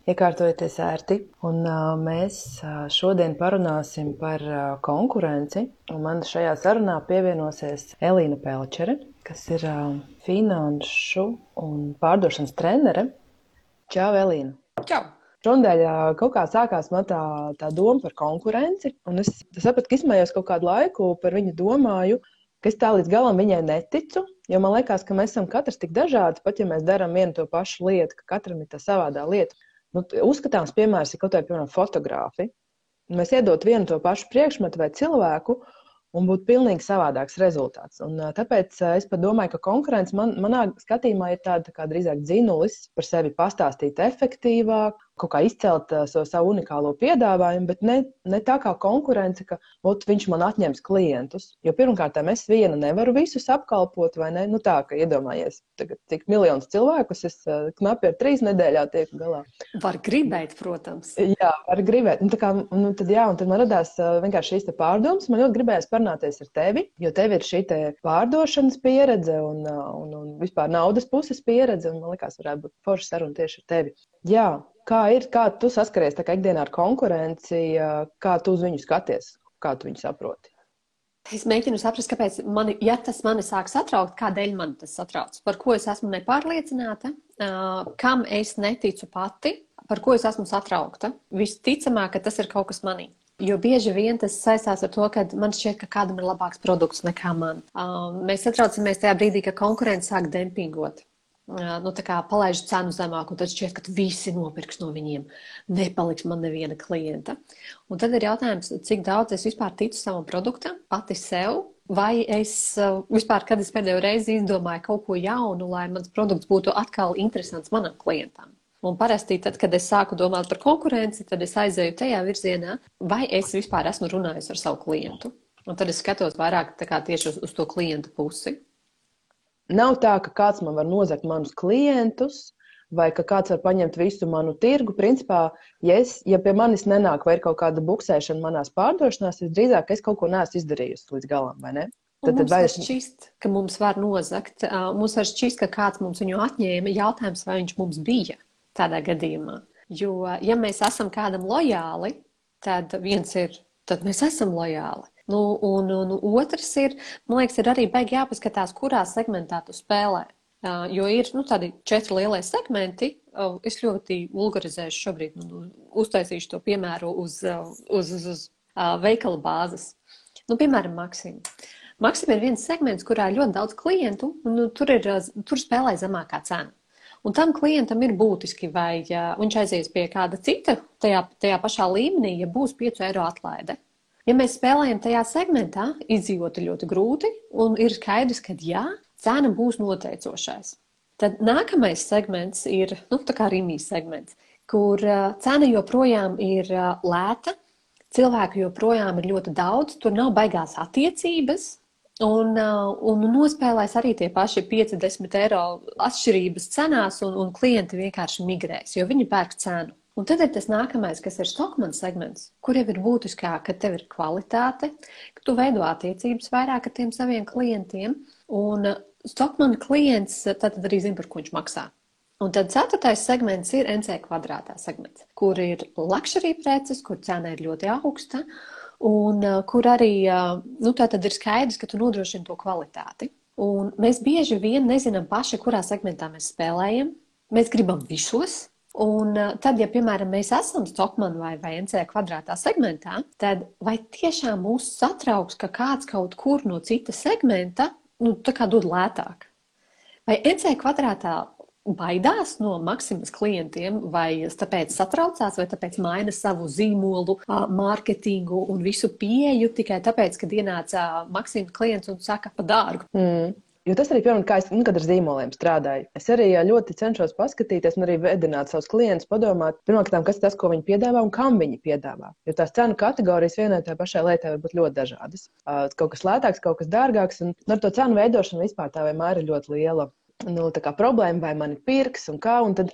Iekārtojieties ērti, un mēs šodien parunāsim par konkurenci. Un man šajā sarunā pievienosies Elīna Pelčere, kas ir finanšu un pārdošanas trenere. Čau, Elīna! Čau! Šodien kaut kā sākās man tā doma par konkurenci, un es sapratu, ka izmējos kaut kādu laiku par viņu domāju, ka es tā līdz galam viņai neticu, jo man liekas, ka mēs esam katrs tik dažādi, pat ja mēs darām vienu to pašu lietu, ka katram ir tā savādā lieta. Uzskatāms piemērs ir kaut vai, piemēram, fotografi. Mēs iedot vienu to pašu priekšmetu vai cilvēku, un būtu pilnīgi savādāks rezultāts. Un tāpēc es pat domāju, ka konkurence manā skatījumā ir tāda kā drīzāk dzinulis par sevi pastāstīt efektīvāk, kaut kā izcelt savu unikālo piedāvājumu, bet ne tā kā konkurence, ka viņš man atņems klientus. Jo pirmkārt, es viena nevaru visus apkalpot, vai ne? Nu tā, ka iedomājies, tagad cik miljonus cilvēkus es knapi ar 3 nedēļā tieku galā. Var gribēt, protams. Jā, var gribēt. Un tad man radās vienkārši šīs te pārdomas. Man ļoti gribējās parunāties ar tevi, jo tev ir šī te pārdošanas pieredze un vispār naudas puses pieredze, un man likās, varētu būt forša saruna tieši ar tevi. Jā. Kā tu saskaries tā kā ikdienā ar konkurenci, kā tu uz viņu skaties, kā tu viņu saproti? Es mēģinu saprast, kāpēc tas mani sāk satraukt, kādēļ man tas satrauc, par ko es esmu nepārliecināta, kam es neticu pati, par ko es esmu satraukta. Visticamāk, ka tas ir kaut kas manī. Jo bieži vien tas saistās ar to, ka man šķiet, ka kādam ir labāks produkts nekā man. Mēs satraucamies tajā brīdī, ka konkurence sāk dempingot. Tā kā palaiž cenu zemāk, un tad šķiet, ka visi nopirks no viņiem. Nepaliks man neviena klienta. Un tad ir jautājums, cik daudz es vispār ticu savam produktam, pati sev, vai es vispār, kad es pēdējo reizi izdomāju kaut ko jaunu, lai mans produkts būtu atkal interesants manam klientam. Un parasti tad, kad es sāku domāt par konkurenci, tad es aizēju tajā virzienā, vai es vispār esmu runājusi ar savu klientu. Un tad es skatos vairāk tieši uz to klientu pusi. Nav tā, ka kāds man var nozagt manus klientus, vai ka kāds var paņemt visu manu tirgu. Principā, ja pie manis nenāk vai ir kaut kāda buksēšana manās pārdošanās, drīzāk es kaut ko neesmu izdarījusi līdz galam, vai ne? Mums var šķist, ka mums var nozagt. Mums var šķist, ka kāds mums viņu atņēma. Jautājums, vai viņš mums bija tādā gadījumā. Jo, ja mēs esam kādam lojāli, tad mēs esam lojāli. Un otrs ir, man liekas, ir arī baigi jāpaskatās, kurā segmentā tu spēlē. Jo ir tādi 4 lielie segmenti. Es ļoti vulgarizēšu šobrīd, uztaisīšu to piemēru uz veikala bāzes. Piemēram, Maxima. Maxima ir viens segments, kurā ir ļoti daudz klientu, un tur spēlē zemākā cena. Un tam klientam ir būtiski, vai viņš aizies pie kāda cita tajā pašā līmenī, ja būs 5 eiro atlaide. Ja mēs spēlējam tajā segmentā, izdzīvot ir ļoti grūti, un ir skaidrs, ka cena būs noteicošais. Tad nākamais segments ir, tā kā Rimijas segments, kur cena joprojām ir lēta, cilvēku joprojām ir ļoti daudz, tur nav baigās attiecības, un nospēlēs arī tie paši 5-10 eiro atšķirības cenās, un klienti vienkārši migrēs, jo viņi pērk cenu. Un tad ir tas nākamais, kas ir Stockmann segments, kur jau ir būtiskāk, ka tev ir kvalitāte, ka tu veido attiecības vairāk ar tiem saviem klientiem. Un Stockmann klients tad arī zina, par ko viņš maksā. Un tad 4. segments ir NC kvadrātā segments, kur ir luxury preces, kur cena ir ļoti augsta, un kur arī tad ir skaidrs, ka tu nodrošini to kvalitāti. Un mēs bieži vien nezinām paši, kurā segmentā mēs spēlējam. Mēs gribam visos. Un tad, ja, piemēram, mēs esam Stockmann vai NC kvadrātā segmentā, tad vai tiešām mūs satrauks, ka kāds kaut kur no cita segmenta, tā kā dod lētāk? Vai NC kvadrātā baidās no Maximas klientiem, vai tāpēc satraucās, vai tāpēc maina savu zīmolu, mārketingu un visu pieeju tikai tāpēc, kad ienāca Maximas klients un saka pa dārgu? Jo tas arī, piemēram, kā es kad ar zīmoliem strādāju. Es arī ļoti cenšos paskatīties un arī vedināt savus klientus, padomāt, pirmkārt, kas ir tas, ko viņi piedāvā un kam viņi piedāvā. Jo tās cenu kategorijas vienai tā pašai lietai var būt ļoti dažādas. Kaut kas lētāks, kaut kas dārgāks, un ar to cenu veidošanu vispār tā vienmēr ir ļoti liela problēma, vai mani pirks un kā, un tad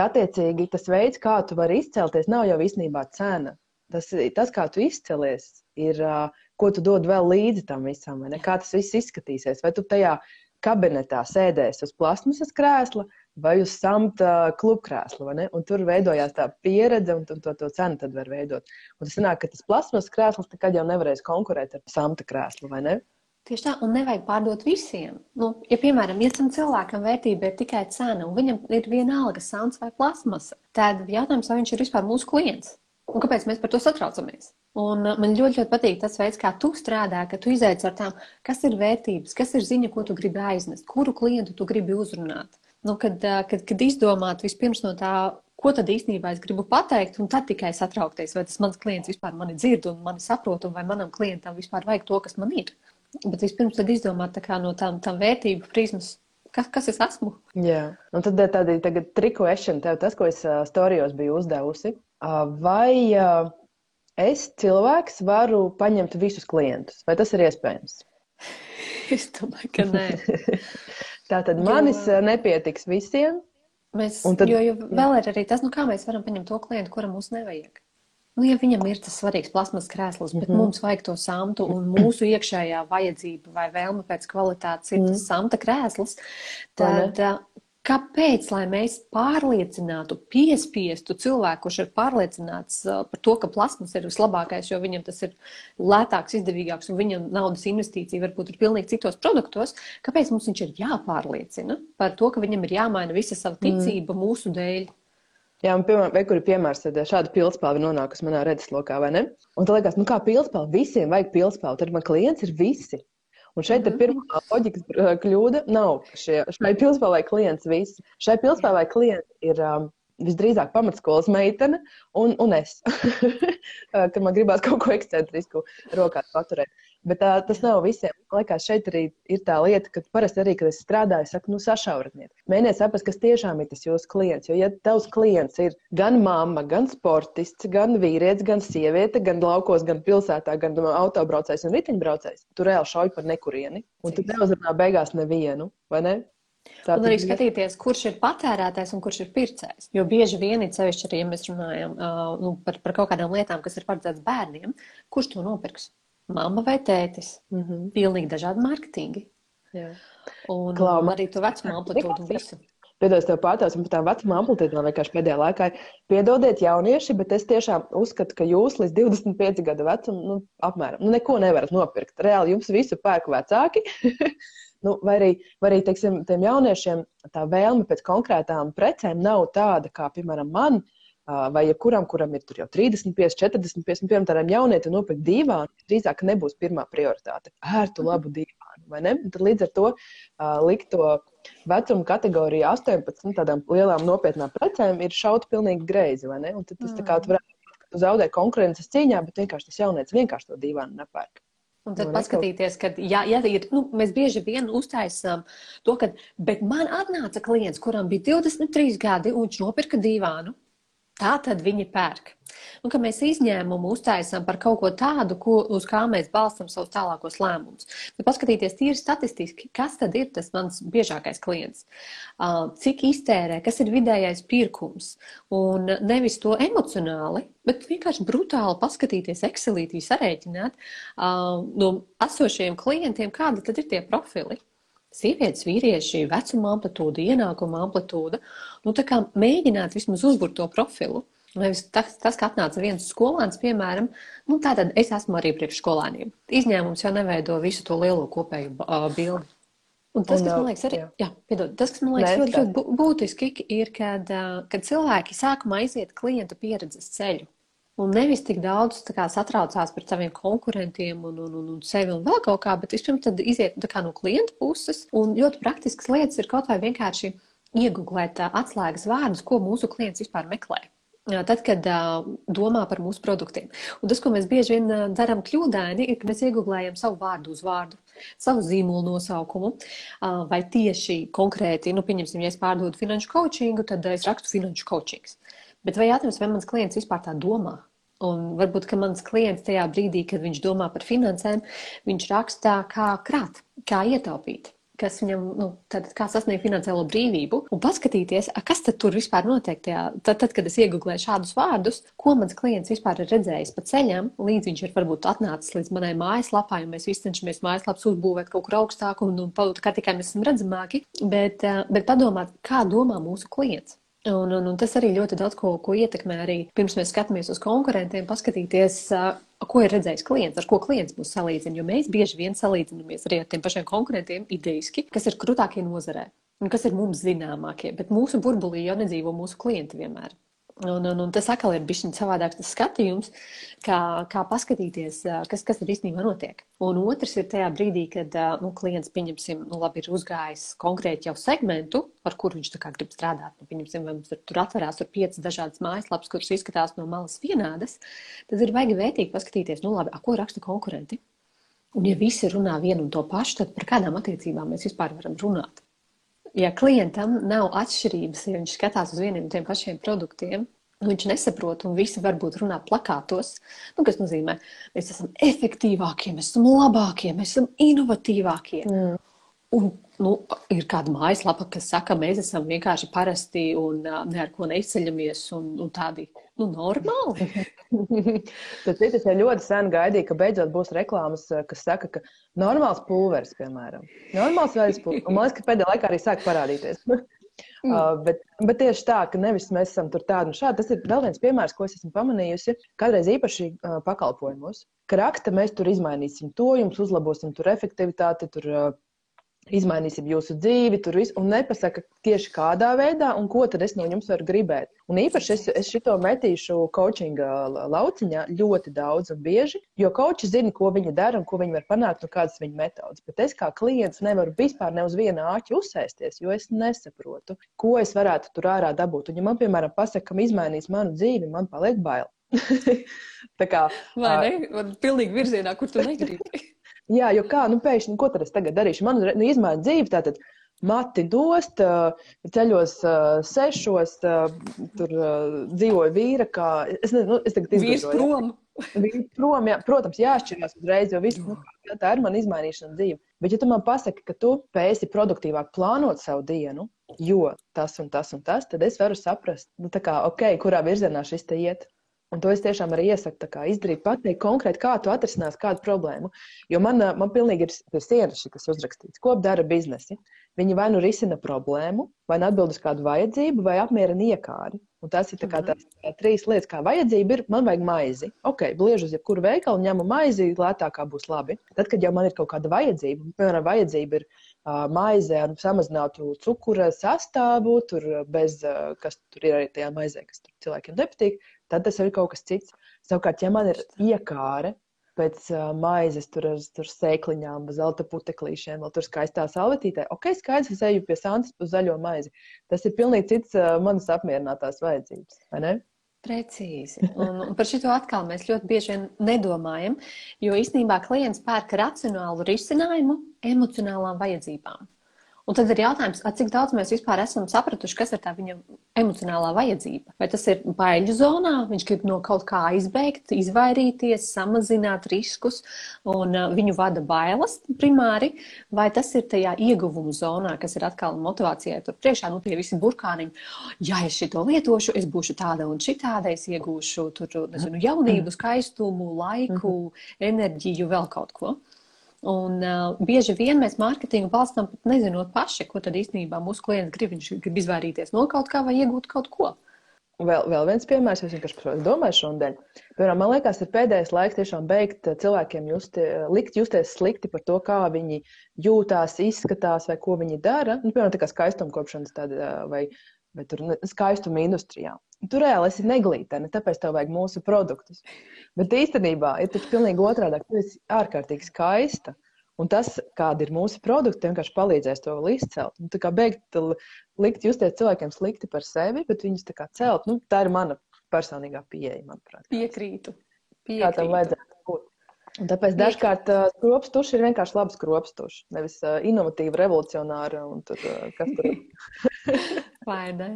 attiecīgi tas veids, kā tu vari izcelties, nav jau īstenībā cena. Tas, kā tu izcelies, ir, ko tu dod vēl līdzi tam visam, vai ne? Kā tas viss izskatīsies. Vai tu tajā kabinetā sēdēsi uz plasmasas krēsla, vai uz samta klubkrēslu, vai ne? Un tur veidojās tā pieredze, un to cenu tad var veidot. Un tas sanāk, ka tas plasmas krēsls nekad jau nevarēs konkurēt ar samta krēslu, vai ne? Tieši tā, un nevajag pārdot visiem. Nu, ja, piemēram, ja tam cilvēkam vērtība ir tikai cena, un viņam ir vienalga samts vai plasmasa, tad jautājums, vai viņš ir vispār mūsu klients? Un kāpēc mēs par to satraucamies? Un man ļoti, ļoti patīk tas veids, kā tu strādā, ka tu izaic ar tām, kas ir vērtības, kas ir ziņa, ko tu gribi aiznest, kuru klientu tu gribi uzrunāt. Nu, kad izdomāt vispirms no tā, ko tad īstenībā es gribu pateikt, un tad tikai satraukties, vai tas mans klients vispār mani dzird un mani saprot, un vai manam klientam vispār vajag to, kas man ir. Bet vispirms tad izdomāt tā kā no tām vērtību prizmas, kas es esmu. Jā, un tad tādi tagad triku ešana tev tas, ko es storijos biju uzdevusi. Vai es cilvēks varu paņemt visus klientus? Vai tas ir iespējams? Es domāju, ka nē. Tātad manis nepietiks visiem. Tad, jo vēl ir arī tas, nu kā mēs varam paņemt to klientu, kuram mums nevajag. Nu, ja viņam ir tas svarīgs plasmas krēsls, bet mums vajag to samtu un mūsu iekšējā vajadzība vai vēlme pēc kvalitātes ir tas samta krēsls, tad kāpēc, lai mēs pārliecinātu, piespiestu cilvēku, kurš ir pārliecināts par to, ka plasmas ir vislabākais, jo viņam tas ir lētāks, izdevīgāks un viņam naudas investīcija varbūt ir pilnīgi citos produktos, kāpēc mums viņš ir jāpārliecina par to, ka viņam ir jāmaina visa sava ticība mūsu dēļ? Jā, un piemēram, kur ir piemērs, tad šāda pildspalva nonākusi manā redzeslokā, vai ne? Un tad liekas, nu kā pildspalva, visiem vajag pildspalvu, tad man klients ir visi. Un šeit pirmā loģikas kļūda nav, šai pildspalvai klients visi. Šai pildspalvai klients ir visdrīzāk pamatskolas meitene un es, kad man gribās kaut ko ekscentrisku rokās paturēt. Bet tas nav visiem. Man liekas, šeit arī ir tā lieta, ka parasti arī, kad es strādāju, saku, nu sašauratniet. Mēģiniet saprast, kas tiešām ir tas jūsu klients. Jo, ja tavs klients ir gan mamma, gan sportists, gan vīrietis, gan sieviete, gan laukos, gan pilsētā, gan autobraucējs un riteņbraucējs, tu reāli šauj par nekurieni. Un tu neuzrunā beigās nevienu, vai ne? Tā un arī skatīties, kurš ir patērētājs un kurš ir pircējs. Jo bieži vien ir sevišķi arī, ja mēs runājam par kaut kādām lietām, kas ir paredzētas bērniem, kurš to nopirks? Mamma vai tētis. Pilnīgi dažādi mārketingi. Jā. Un arī to vecumu amplitūdu un visu. Piedod, tev pārtausim par tām vecuma amplitīdām vienkārši pēdējā laikā. Piedodiet jaunieši, bet es tiešām uzskatu, ka jūs līdz 25 gadu vecumu, apmēram, neko nevarat nopirkt. Reāli jums visu pērk vecāki. Vai arī, teiksim, tiem jauniešiem tā vēlme pēc konkrētām precēm nav tāda, kā, piemēram, man, vai jebkuram, kuram ir tur jau 35, 45, un piemēram tādiem jaunietim nopirkt dīvānu, drīzāk nebūs pirmā prioritāte. Ērtu labu dīvānu, vai ne? Un tad līdz ar to likt to vecuma kategoriju 18 tādām lielām nopietnām precēm ir šaut pilnīgi greizi, vai ne? Un tad tas tā kā tu varētu zaudēt konkurences cīņā, bet vienkārši tas jaunietis vienkārši to dīvānu nepērk. Un tad paskatīties, ka ja ir, mēs bieži vien uztaisām to, ka, bet man atnāca klients, kuram bija 23 gadi, un viņš nopirka dīvānu. Tā tad viņi pērk. Un, ka mēs izņēmumu uztaisām par kaut ko tādu, uz kā mēs balstam savus tālākos lēmumus. Bet paskatīties tīri statistiski, kas tad ir tas mans biežākais klients? Cik iztērē, kas ir vidējais pirkums? Un nevis to emocionāli, bet vienkārši brutāli paskatīties, Excelītī sarēķināt no esošajiem klientiem, kādi tad ir tie profili. Sievietes, vīrieši, vecuma amplitūda, ienākuma amplitūda. Tā kā mēģināt vismaz uzburt to profilu. Nevis tas, ka atnāca viens skolāns, piemēram, tātad es esmu arī priekš skolāniem. Izņēmums jau neveido visu to lielo kopēju bildi. Un tas, kas man liekas, arī, tas, kas man liekas ļoti būtiski, ir, kad cilvēki sākumā aiziet klienta pieredzes ceļu. Un nevis tik daudz satraucās par saviem konkurentiem un sevi un vēl kaut kā, bet vispirms tad iziet no klienta puses. Un ļoti praktiskas lietas ir kaut vai vienkārši iegooglēt atslēgas vārdus, ko mūsu klients vispār meklē. Tad, kad domā par mūsu produktiem. Un tas, ko mēs bieži vien darām kļūdaini, ir, ka mēs iegooglējam savu vārdu uz vārdu, savu zīmolu nosaukumu, vai tieši konkrēti, pieņemsim, ja es pārdodu finanšu coachingu, tad es rakstu finanšu coachings. Bet vai jautājums, vai mans klients vispār tā domā? Un varbūt, ka mans klients tajā brīdī, kad viņš domā par finansēm, viņš rakstā kā krāt, kā ietaupīt. kas viņam, kā sasniegt finansiālo brīvību, un paskatīties, kas tad tur vispār notiek tajā. Tad, kad es iegūlēju šādus vārdus, ko mans klients vispār ir redzējis pa ceļam, līdz viņš ir varbūt atnācis līdz manai mājaslapai, un mēs visi cenšamies mājaslapas uzbūvēt kaut kur augstāku, un kā tikai mēs esam redzamāki, bet padomāt, kā domā mūsu klients. Un tas arī ļoti daudz ko ietekmē arī pirms mēs skatāmies uz konkurentiem, paskatīties, ko ir redzējis klients, ar ko klients mūs salīdzina, jo mēs bieži vien salīdzinamies arī ar tiem pašiem konkurentiem ideiski, kas ir krūtākie nozarē un kas ir mums zināmākie, bet mūsu burbulī jau nedzīvo mūsu klienti vienmēr. Un tas atkal ir bišķiņ savādāks tas skatījums, kā paskatīties, kas ir īstenībā notiek. Un otrs ir tajā brīdī, kad klients, pieņemsim, labi ir uzgājis konkrēti jau segmentu, ar kuru viņš tā kā grib strādāt. Pieņemsim, vai mums tur atverās 5 dažādas mājaslapas, kuras izskatās no malas vienādas, tad ir baigi vērtīgi paskatīties, labi, ko raksta konkurenti. Un ja visi runā vienu un to pašu, tad par kādām attiecībām mēs vispār varam runāt. Ja klientam nav atšķirības, ja viņš skatās uz vieniem tiem pašiem produktiem, viņš nesaprot, un visi varbūt runā plakātos, kas nozīmē, mēs esam efektīvākie, mēs esam labākie, mēs esam inovatīvākie. Un ir kāda mājaslapa, kas saka, mēs esam vienkārši parasti un ne ar ko neizceļamies un tādi normāli. Tas ir ļoti sen gaidīja, ka beidzot būs reklāmas, kas saka, ka normāls pulveris, piemēram. Normāls veids pulveris. Un man liekas, ka pēdējā laikā arī sāk parādīties. Bet tieši tā, ka nevis mēs esam tur tādi un šādi. Tas ir vēl viens piemērs, ko es esmu pamanījusi. Kādreiz īpaši pakalpojumos, ka raksta, mēs tur izmainīsim to, jums uzlabosim tur efektivitāti, tur izmainīsim jūsu dzīvi, tur visu, un nepasaka tieši kādā veidā, un ko tad es no jums varu gribēt. Un īpaši es šito metīšu coachinga lauciņā ļoti daudz un bieži, jo coachi zina, ko viņi dara un ko viņi var panākt un kādas viņa metodas. Bet es kā klients nevaru vispār ne uz viena āķa uzsēsties, jo es nesaprotu, ko es varētu tur ārā dabūt. Un ja man, piemēram, pasaka, ka izmainīs manu dzīvi, man paliek bail. Tā kā... Vai ne? Man pilnīgi virzienā, kur tu negribi. Jā, jo pēkšņi, ko tad es tagad darīšu? Man izmaina dzīve, tātad mati dost, ceļos 6, tur dzīvoju vīra, kā... Es tagad izgudroju. Vīrs prom. Vīrs prom, jā. Protams, jāšķirās uzreiz, jo viss, tā ir man izmainīšana dzīve. Bet ja tu man pasaki, ka tu spēsi produktīvāk plānot savu dienu, jo tas un tas un tas, tad es varu saprast, kurā virzienā šis te iet. Un to es tiešām arī iesaku izdarīt, pateikt konkrēti, kā tu atrisinās kādu problēmu. Jo man pilnīgi ir pie sienas kas uzrakstīts, ko dara biznesi. Viņi vai nu risina problēmu, vai nu atbild uz kādu vajadzību, vai apmierina iekāri. Un tas ir tās 3 lietas, kā vajadzība ir, man vajag maizi. Ok, bliežu uz jebkuru veikalu, ņemu maizi, lētākā būs labi. Tad, kad jau man ir kaut kāda vajadzība, piemēram, vajadzība ir maize ar samazinātu cukura sastāvu, tur bez, kas tur ir arī tajā maizē, kas tur cilvēkiem nepatīk, tad tas ir kaut kas cits. Savukārt, ja man ir iekāre pēc maizes tur ar sēkliņām, zelta puteklīšiem, vēl tur skaistā salvetītē, ok, skaidrs, es eju pie Santas uz zaļo maizi. Tas ir pilnīgi cits manas apmierinātās vajadzības, vai ne? Precīzi. Un par šito atkal mēs ļoti bieži vien nedomājam, jo īstenībā klients pērk racionālu risinājumu emocionālām vajadzībām. Un tad ir jautājums, cik daudz mēs vispār esam sapratuši, kas ir tā viņa emocionālā vajadzība. Vai tas ir baiļu zonā, viņš grib no kaut kā izbeigt, izvairīties, samazināt riskus un viņu vada bailes primāri, vai tas ir tajā ieguvumu zonā, kas ir atkal motivācijai tur priekšā, tie visi burkāniņi. Ja es šito lietošu, es būšu tāda un šitāda, es iegūšu tur, jaunību, skaistumu, laiku, enerģiju, vēl kaut ko. Un bieži vien mēs mārketingu balstām pat nezinot paši, ko tad īstenībā mūsu klients grib. Viņš grib izvairīties no kaut kā vai iegūt kaut ko. Vēl viens piemērs, es vienkārši par to domāju šodien. Piemēram, man liekas, ir pēdējais laiks tiešām beigt cilvēkiem likt justies slikti par to, kā viņi jūtās, izskatās vai ko viņi dara. Piemēram, tā kā skaistumkopšanas vai tur skaistuma industrijā. Tu reāli esi neglītene, tāpēc tev vajag mūsu produktus. Bet īstenībā ir taču pilnīgi otrādāk. Tu esi ārkārtīgi skaista. Un tas, kādi ir mūsu produkti, vienkārši palīdzēs to vēl izcelt. Un tā kā beigt likt justies cilvēkiem slikti par sevi, bet viņus tā kā celt. Tā ir mana personīgā pieeja, manuprāt. Piekrītu. Kā tam vajadzētu būt. Un tāpēc dažkārt skropstuši ir vienkārši labi skropstuši. Nevis inovatīvi, revolucionāri un tur kas tur. Vai ne?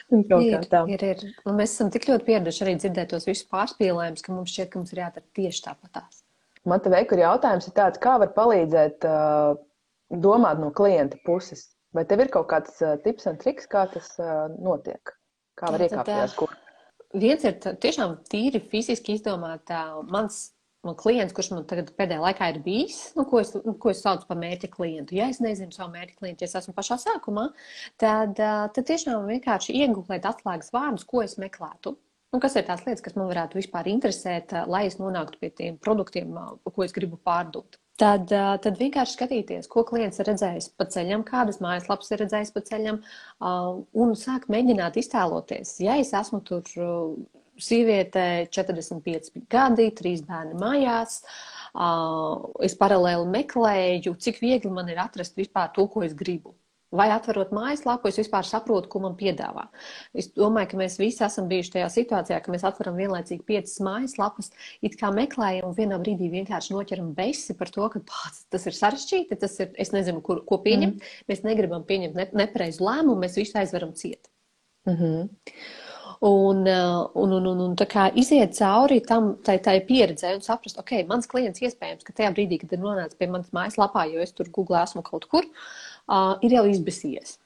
Ir. Un mēs esam tik ļoti pieraduši arī dzirdēt tos visus pārspīlējumus, ka mums šķiet, ka mums ir jādara tieši tāpatās. Man te veikur jautājums ir tāds, kā var palīdzēt domāt no klienta puses? Vai tev ir kaut kāds tips un triks, kā tas notiek? Kā var iekāpties? Viens ir tiešām tīri fiziski izdomāt mans klients, kurš man tagad pēdējā laikā ir bijis, ko es saucu par mērķa klientu. Ja es nezinu savu mērķa klientu, ja es esmu pašā sākumā, tad tiešām vienkārši iegūlēt atslēgas vārdus, ko es meklētu. Un kas ir tās lietas, kas man varētu vispār interesēt, lai es nonāktu pie tiem produktiem, ko es gribu pārdot. Tad vienkārši skatīties, ko klients ir redzējis pa ceļam, kādas mājaslapas ir redzējis pa ceļam, un sākt mēģināt iztēloties. Ja es esmu tur sieviete, 45 gadi, 3 bērni mājās, es paralēli meklēju, cik viegli man ir atrast vispār to, ko es gribu. Vai atverot mājaslapu, es vispār saprotu, ko man piedāvā. Es domāju, ka mēs visi esam bijuši tajā situācijā, ka mēs atveram vienlaicīgi 5 mājaslapas, it kā meklējam un vienā brīdī vienkārši noķeram besi par to, ka tas ir sarežģīti, es nezinu, ko pieņemt. Mēs negribam pieņemt nepareizu lēmumu, mēs visu aizveram ciet. Un tā kā iziet cauri tai pieredzē un saprast, ok, mans klients iespējams, ka tajā brīdī, kad ir nonācis pie manas mājaslapā, jo es tur Google esmu kaut kur, ir jau izbesies.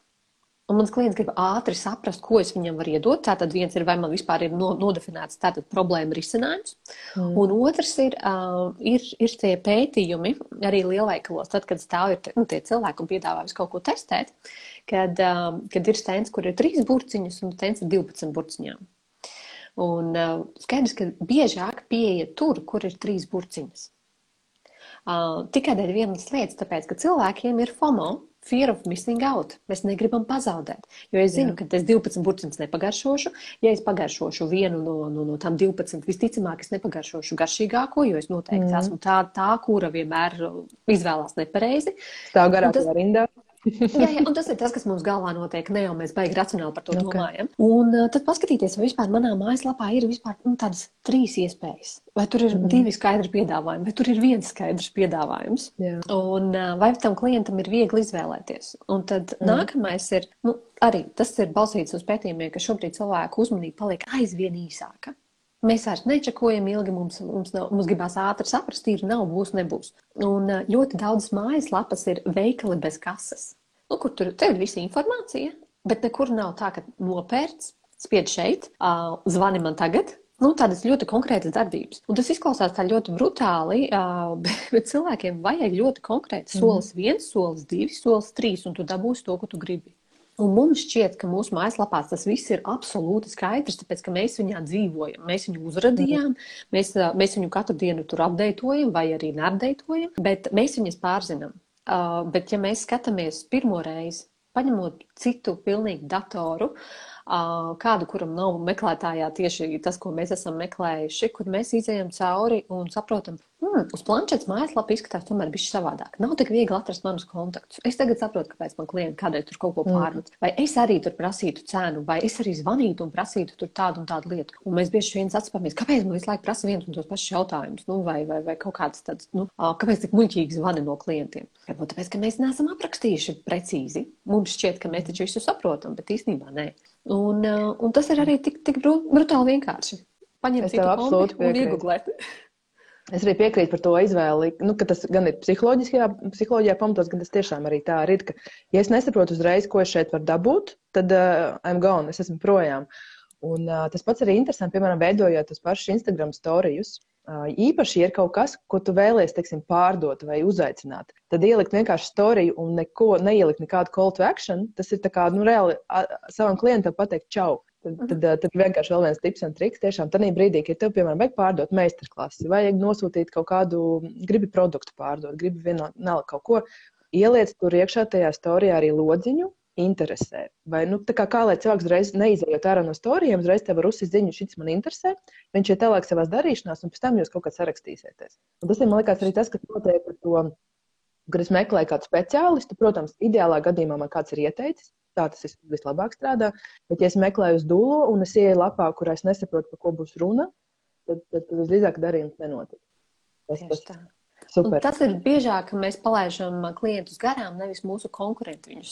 Un mans klients grib ātri saprast, ko es viņam varu iedot. Tātad viens ir, vai man vispār ir nodefinēts tātad problēma risinājums. Un otrs ir tie pētījumi arī lielveikalos, tad, kad stāv tie cilvēki un piedāvā visu kaut ko testēt, kad ir stends, kur ir 3 burciņas un stends ir 12 burciņām. Un skaidrs, ka biežāk pieiet tur, kur ir 3 burciņas. Tikai dēļ vienas lietas, tāpēc, ka cilvēkiem ir FOMO, fear of missing out. Mēs negribam pazaudēt, jo es zinu, ka es 12 burciņas nepagaršošu. Ja es pagaršošu vienu no tām 12, visticamāk es nepagaršošu garšīgāko, jo es noteikti esmu tā, kura vienmēr izvēlās nepareizi. Stāv garākajā rindā. Jā, un tas ir tas, kas mums galvā notiek, ne jau mēs baigi racionāli par to domājam. Un tad paskatīties, vai vispār manā mājaslapā ir vispār tādas 3 iespējas. Vai tur ir 2 skaidri piedāvājumi, vai tur ir 1 skaidrs piedāvājums. Un vai tam klientam ir viegli izvēlēties. Un tad nākamais ir, arī tas ir balstīts uz pētījumiem, ka šobrīd cilvēku uzmanība paliek aizvien īsāka. Mēs vairs nečakojam ilgi, mums gribās ātri saprast, ir nav, būs, nebūs. Un ļoti daudz mājaslapas ir veikali bez kases. Kur tur ir visa informācija, bet nekur nav tā, ka nopērts, spied šeit, zvani man tagad. Tādas ļoti konkrētas darbības. Un tas izklausās tā ļoti brutāli, bet cilvēkiem vajag ļoti konkrēti solis 1, solis 2, solis 3, un tu dabūsi to, ko tu gribi. Un mums šķiet, ka mūsu mājaslapās tas viss ir absolūti skaidrs, tāpēc, ka mēs viņā dzīvojam. Mēs viņu uzradījām, mēs viņu katru dienu tur apdeitojam vai arī neapdeitojam, bet mēs viņas pārzinām. Bet ja mēs skatāmies pirmo reizi, paņemot citu pilnīgi datoru, kādu, kuram nav meklētājā tieši tas, ko mēs esam meklējuši, kur mēs izējam cauri un saprotam, uz planšetes mājaslapa izskatās tomēr bišķi savādāk. Nav tik viegli atrast manus kontaktus. Es tagad saprotu, kāpēc man klienti kādēļ tur kaut ko pārmet. Vai es arī tur prasītu cenu, vai es arī zvanītu un prasītu tur tādu un tādu lietu. Un mēs bieži viens atspāmies, kāpēc man visu laiku prasa viens un tos pašus jautājumus, vai kaut kāds tāds, kāpēc tik muļķīgi zvani no klientiem. Varbūt tāpēc, ka mēs neesam aprakstījuši precīzi. Mums šķiet, ka mēs taču visu saprotam, bet īstenībā nē. Un tas ir arī tik brutāli vienkārši. Paņemt citu kombi un iegooglēt. Es arī piekrītu par to izvēli, ka tas gan ir psiholoģijā pamatos, gan tas tiešām arī tā ir, ka, ja es nesaprotu uzreiz, ko es šeit varu dabūt, tad I'm gone, es esmu projām. Un tas pats arī interesanti, piemēram, veidojot tos pašus Instagram storijus. Īpaši, ja ir kaut kas, ko tu vēlies, teiksim, pārdot vai uzaicināt, tad ielikt vienkārši storiju un neielikt nekādu call to action, tas ir tā kā, reāli savam klientam pateikt čau. Tad vienkārši vēl viens tips un triks tiešām tādā brīdī, ka tev, piemēram, vajag pārdot meistarklasi, vajag nosūtīt kaut kādu, gribi produktu pārdot, gribi vienalga kaut ko, ieliec tur iekšā tajā storijā arī lodziņu, interesē. Vai, tā kā lai cilvēks uzreiz neizējot ārā no storijiem, uzreiz tev var uzsist ziņu, šis man interesē, viņš ir tālāk savās darīšanās, un pēc tam jūs kaut kā sarakstīsieties. Un tas ir, man liekas, arī tas, kas notiek ar to, kad es meklēju kādu speciālistu, protams, ideālā gadījumā man kāds ir ieteicis, tā tas vislabāk strādā, bet ja es meklēju uz Dulo un es ieeju lapā, kurā es nesaprotu, par ko būs runa, tad visdrīzāk darījums nenotiek. Tas Un super. tas ir biežāk, ka mēs palaižam klientus garām, nevis mūsu konkurenti viņus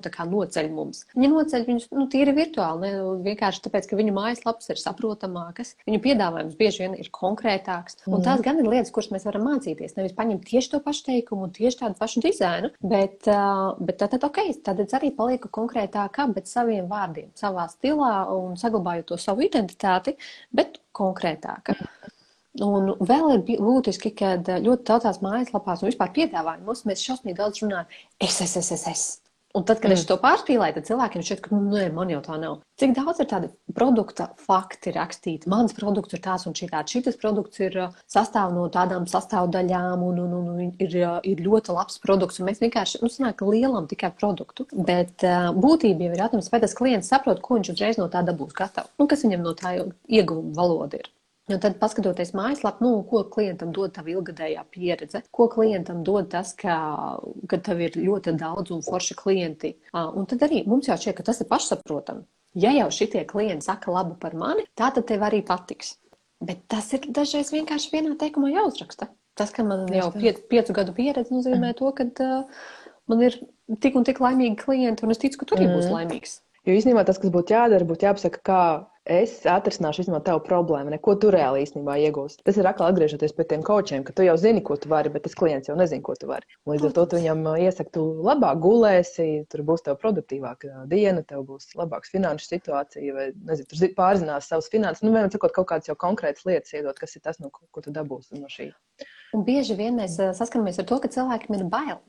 tā kā noceļ mums. Viņi noceļ viņus tīri virtuāli, ne vienkārši tāpēc, ka viņu mājaslapas ir saprotamākas, viņu piedāvājums bieži vien ir konkrētāks. Un tās gan ir lietas, kuras mēs varam mācīties. Nevis paņemt tieši to pašu teikumu un tieši tādu pašu dizainu, bet tad arī palieku konkrētākā, bet saviem vārdiem, savā stilā un saglabājot to savu identitāti, bet konkrētāka. Un vēl ir būtiski, ka ļoti daudzās mājaslapās un vispār piedāvājumos mēs šausmīgi daudz runājam es. Un tad, kad es to pārspīlēju, tad cilvēkiem šķiet, ka nē, man jau tā nav. Cik daudz ir tādi produkta fakti rakstīti? Mans produkts ir tāds un šitāds. Šitas produkts ir sastāv no tādām sastāvdaļām un ir ļoti labs produkts. Un mēs vienkārši, sanāk lielam tikai produktu. Bet būtība jau ir jautājums, vai tas klients saprot, ko viņš uzreiz no tā dabūs gatavu. Un kas viņam no tā ieguvuma valoda ir. Un tad, paskatoties mājaslapu, ko klientam dod tava ilgadējā pieredze, ko klientam dod tas, ka tev ir ļoti daudz un forši klienti. Un tad arī mums jau šķiet, ka tas ir pašsaprotami. Ja jau šitie klienti saka labu par mani, tā tad tev arī patiks. Bet tas ir dažreiz vienkārši vienā teikumā jāuzraksta. Tas, ka man jau 5 gadu pieredze nozīmē to, ka man ir tik un tik laimīgi klienti, un es ticu, ka tu arī būsi laimīgs. Jo īstenībā tas, kas būtu jādara, būtu jāpasaka, kā es atrisināšu īstenībā tavu problēmu, ko tu reāli īstenībā iegūsi. Tas ir atkal atgriežoties pie tiem kočiem, ka tu jau zini, ko tu vari, bet tas klients jau nezina, ko tu vari. Un līdz ar to tu viņam iesaki, tu labāk gulēsi, tur būs tev produktīvāka diena, tev būs labāks finanšu situācija, vai nezinu, tur pārzinās savas finanses, vienmēr sakot kaut kādas jau konkrētas lietas iedot, kas ir tas, ko tu dabūsi no šī. Un bieži vien mēs saskaramies ar to, ka cilvēkiem ir bail.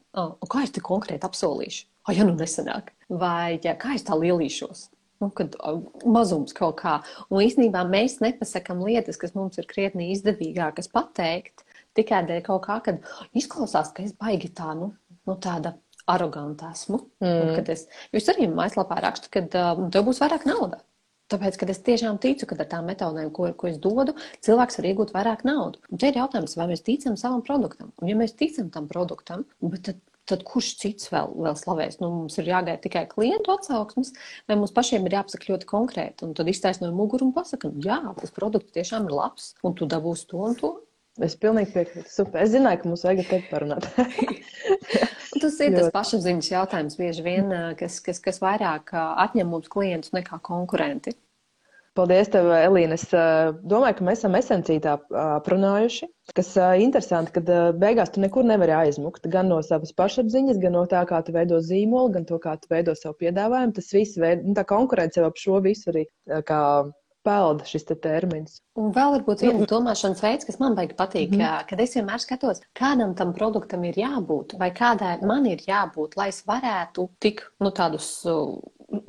Kā es te konkrēti apsolīšu? Ja nu nesanāk. Vai kā es tā lielīšos? Kad mazums kaut kā. Un īstenībā mēs nepasakam lietas, kas mums ir krietni izdevīgākas pateikt, tikai dēļ kaut kā, kad izklausās, ka es baigi tā, tāda aroganta esmu. Jūs arī mājaslapā rakstu, ka tev būs vairāk nauda. Tāpēc, kad es tiešām ticu, ka ar tām metodēm, ko es dodu, cilvēks var iegūt vairāk naudu. Un te ir jautājums, vai mēs ticam savam produktam. Un ja mēs ticam tam produktam, tad kurš cits vēl slavēs? Mums ir jāgaida tikai klientu atsauksmes, vai mums pašiem ir jāpasaka ļoti konkrēti. Un tad iztaisnojam muguru un pasakam, jā, tas produkts tiešām ir labs, un tu dabūsi to un to. Es pilnīgi piekrītu. Super. Es zināju, ka mums vajag te parunāt. Tas ir tas pašapziņas jautājums bieži vien, kas vairāk atņem mums klientus nekā konkurenti. Paldies tev, Elīna. Es domāju, ka mēs esam esenciju tā aprunājuši, kas interesanti, ka beigās tu nekur nevari aizmukt. Gan no savas pašapziņas, gan no tā, kā tu veido zīmolu, gan to, kā tu veido savu piedāvājumu. Tas viss tā konkurence jau ap šo visu arī kā pelda šis termins. Un vēl varbūt viens domāšanas veids, kas man baigi patīk, kad es vienmēr skatos, kādam tam produktam ir jābūt, vai kādai man ir jābūt, lai es varētu tik tādus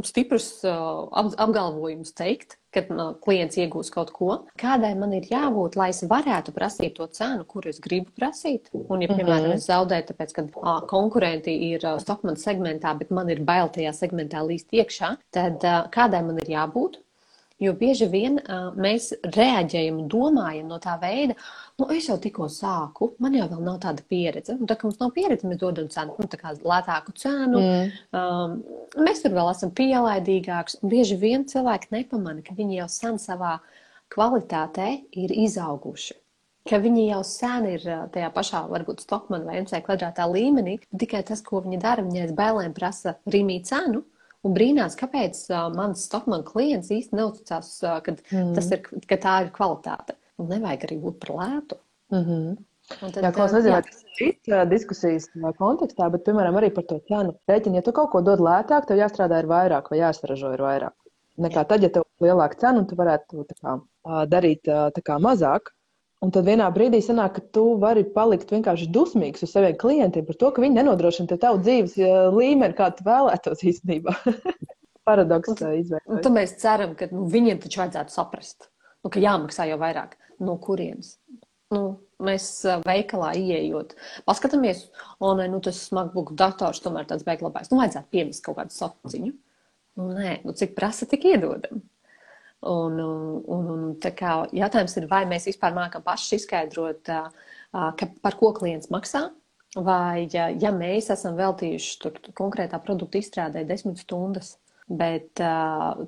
stiprus apgalvojumus teikt, kad klients iegūs kaut ko. Kādai man ir jābūt, lai es varētu prasīt to cenu, kuru es gribu prasīt. Un, ja, piemēram, es zaudēju, tāpēc, ka konkurenti ir Stockmann segmentā, bet man ir bail tajā segmentā līst iekšā, tad kādai man ir jābūt? Jo bieži vien mēs reaģējam un domājam no tā veida, es jau tikko sāku, man jau vēl nav tāda pieredze. Un tā kā mums nav pieredze, mēs dodam cenu, tā kā lētāku cenu. Mēs tur vēl esam pielaidīgāks. Un bieži vien cilvēki nepamana, ka viņi jau sen savā kvalitātē ir izauguši. Ka viņi jau sen ir tajā pašā, varbūt Stockmann vai MC kvadrātā līmenī. Tikai tas, ko viņi dara, viņi aiz bailēm prasa rīmī cenu. Un brīnās, kāpēc mans Stockmann klients īsti neuzticās, ka tā ir kvalitāte. Un nevajag arī būt par lētu. Tad, es nezinu, vai tas ir cits diskusijas kontekstā, bet, piemēram, arī par to cenu. Rēķini, ja tu kaut ko dod lētāk, tev jāstrādā ir vairāk vai jāsaražo ir vairāk. Nekā tad, ja tev ir lielāka cena un tu varētu darīt mazāk. Un tad vienā brīdī sanāk, ka tu vari palikt vienkārši dusmīgs uz saviem klientiem par to, ka viņi nenodrošina te tavu dzīves līmeni, kā tu vēlētos īstenībā. Paradoks izveidojas. Un tad mēs ceram, ka viņiem taču vajadzētu saprast, ka jāmaksā jau vairāk. No kurienes? Mēs veikalā ieejot, paskatāmies, tas MacBook dators tomēr tāds beiglabājs. Vajadzētu piemest kaut kādu sociņu. Nē, cik prasa, tik iedodam. Un tā kā jautājums ir, vai mēs vispār mākam paši izskaidrot, par ko klients maksā, vai ja mēs esam veltījuši konkrētā produkta izstrādē 10 stundas, bet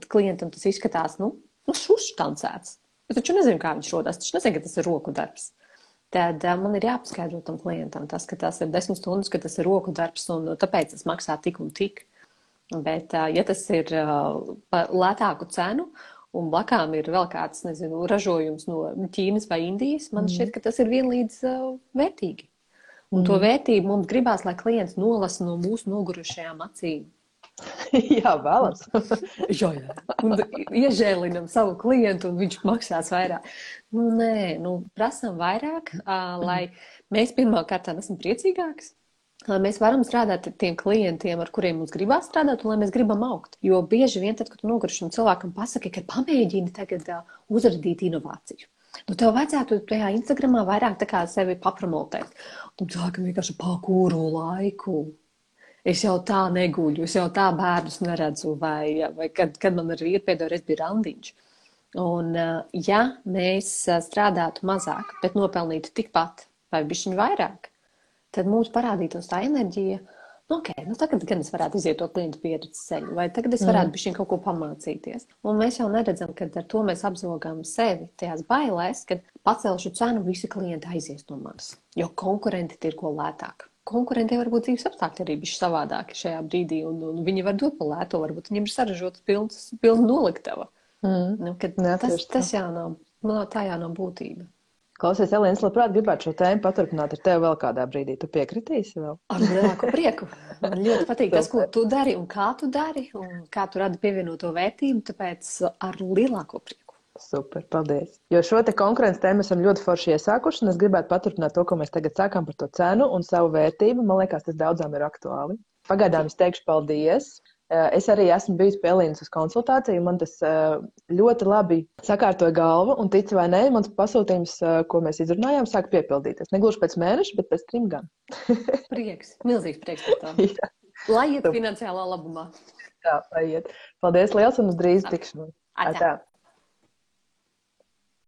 klientam tas izskatās, šuštancēts. Es taču nezinu, kā viņš rodās, taču nezinu, ka tas ir roku darbs. tad man ir jāpaskaidro tam klientam tas, ka tas ir 10 stundas, ka tas ir roku darbs un tāpēc tas maksā tik un tik. Bet, ja tas ir par lētāku cenu un blakām ir vēl kāds, nezinu, ražojums no Ķīnas vai Indijas, man šķiet, ka tas ir vienlīdz vērtīgi. Un to vērtību mums gribās, lai klients nolasa no mūsu nogurušajām acīm. Jā, vēlams. Jā. Un iežēlinam savu klientu un viņš maksās vairāk. Nē, prasam vairāk, lai mēs pirmkārt esam priecīgāks, lai mēs varam strādāt ar tiem klientiem, ar kuriem mums gribās strādāt un lai mēs gribam augt. Jo bieži vien tad, kad tu nogurušam cilvēkam pasaki, ka pamēģini tagad uzradīt inovāciju. Tev vajadzētu tajā Instagramā vairāk tā kā sevi papromotēt. Un cilvēkam vienkārši kuru laiku. Es jau tā neguļu, es jau tā bērnus neredzu, vai kad man ar vīru pēdējo reizi bija randiņš. Un ja mēs strādātu mazāk, bet nopelnītu tikpat vai bišķiņu vairāk, tad mums parādītos tā enerģija, tagad gan es varētu iziet to klientu pieredzes ceļu, vai tagad es varētu bišķiņu kaut ko pamācīties. Un mēs jau neredzam, ka ar to mēs apzogām sevi tajās bailēs, kad pacelšu cenu, visi klienti aizies no manis, jo konkurenti tirgo lētāk. Konkurentiem var būt dzīves apstākļi arī bišķi savādāki šajā brīdī, un viņi var dot pa lēto, varbūt viņiem ir saražotas pilna noliktava. Tas jau nav, tā jau nav būtība. Klausies, Elīna, es labprāt gribētu šo tēmu paturpināt ar tevi vēl kādā brīdī. Tu piekritīsi vēl? Ar lielāku prieku. Man ļoti patīk tas, ko tu dari un kā tu dari, un kā tu radi pievienoto vērtību, tāpēc ar lielāko prieku. Super, paldies. Jo šo te konkurences tēmu esam ļoti forši iesākuši, un es gribētu paturpināt to, ko mēs tagad sākām par to cenu un savu vērtību. Man liekas, tas daudzām ir aktuāli. Pagaidām es teikšu paldies. Es arī esmu bijusi pie Elīnas uz konsultāciju, man tas ļoti labi sakārtoja galvu, un tici vai nē, mans pasūtījums, ko mēs izrunājām, sāk piepildīties. Negluži pēc mēneša, bet pēc 3 gan. Prieks, milzīgs prieks par to. Lai iet finansiālā labumā. Tā, lai iet. Paldies liels un uz drīz tikšanos. Atā.